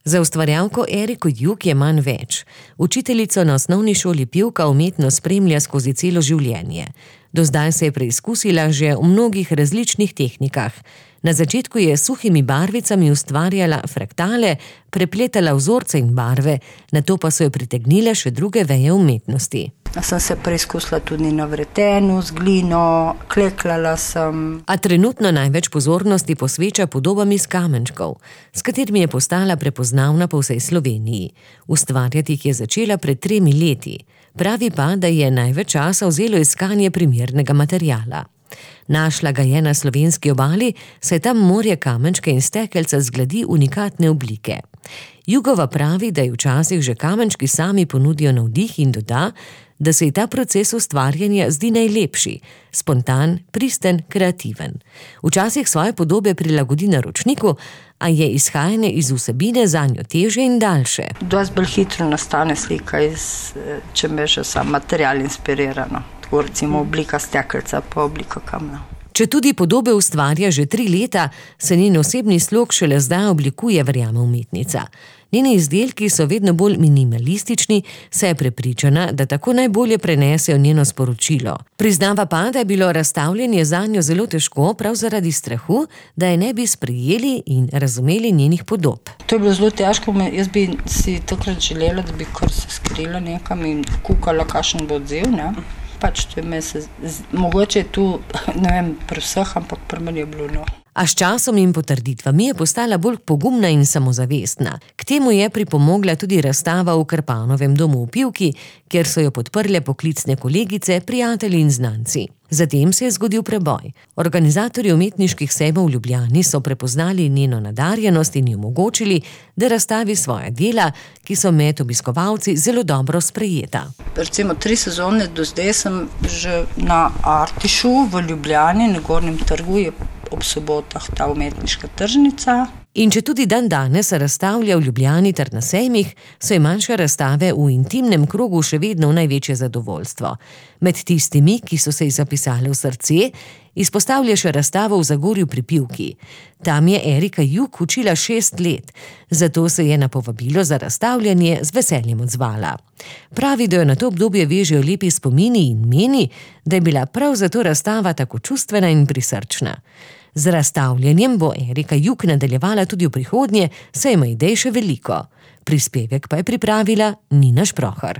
Za ustvarjalko Eriko Juk je manj več. Učiteljico na osnovni šoli pevka umetno spremlja skozi celo življenje. Do zdaj se je preizkusila že v mnogih različnih tehnikah. Na začetku je s suhimi barvicami ustvarjala fraktale, prepletala vzorce in barve, nato pa so jo pritegnile še druge veje umetnosti. Sem se preizkusila tudi na vretenu, z glino, kleklala sem. A trenutno največ pozornosti posveča podobam iz kamenčkov, s katerimi je postala prepoznavna po vsej Sloveniji. Ustvarjati jih je začela pred 3 leti. Pravi pa, da je največ časa vzelo iskanje primernega materiala. Našla ga je na slovenski obali, saj tam morje kamenčka in stekelca zgledi unikatne oblike. Jugova pravi, da ji včasih že kamenčki sami ponudijo navdih in doda, da se ji ta proces ustvarjanja zdi najlepši, spontan, pristen, kreativen. Včasih svoje podobe prilagodi naročniku, a je izhajanje iz vsebine zanjo težje in daljše. Dosti bolj hitro nastane slika, če me že sam material inspirirano. Tako recimo oblika stekelca pa oblika kamna. Če tudi podobe ustvarja že 3 leta, se njen osebni slog šele zdaj oblikuje, verjame umetnica. Njeni izdelki so vedno bolj minimalistični, saj je prepričana, da tako najbolje prenesejo njeno sporočilo. Priznava pa, da je bilo razstavljanje zanjo zelo težko, prav zaradi strahu, da je ne bi sprejeli in razumeli njenih podob. To je bilo zelo težko, jaz bi si takrat želela, da bi kar se skrila nekam in kukala, kakšen bo odziv, ne? Pač to je mogoče je tu, ne vem, pri vseh, ampak pri meni je bilo, no. A s časom in potrditvami je postala bolj pogumna in samozavestna. K temu je pripomogla tudi razstava v Krpanovem domu v Pivki, kjer so jo podprle poklicne kolegice, prijatelji in znanci. Zatem se je zgodil preboj. Organizatorji umetniških sejmov v Ljubljani so prepoznali njeno nadarjenost in ji omogočili, da razstavi svoja dela, ki so med obiskovalci zelo dobro sprejeta. Recimo 3 sezone do zdaj sem že na Artišu v Ljubljani, na Gornjem trgu, je ob sobotah ta umetniška tržnica. In če tudi dan danes razstavlja v Ljubljani ter na sejmih, so ji manjše razstave v intimnem krogu še vedno v največje zadovoljstvo. Med tistimi, ki so se ji zapisali v srce, izpostavlja še razstavo v Zagorju pri Pivki. Tam je Erika Juk učila 6 let, zato se je na povabilo za razstavljanje z veseljem odzvala. Pravi, da jo na to obdobje vežejo lepi spomini in meni, da je bila prav zato razstava tako čustvena in prisrčna. Z razstavljanjem bo Erika Juk nadaljevala tudi v prihodnje, saj ima idej še veliko. Prispevek pa je pripravila Nina Šprohar.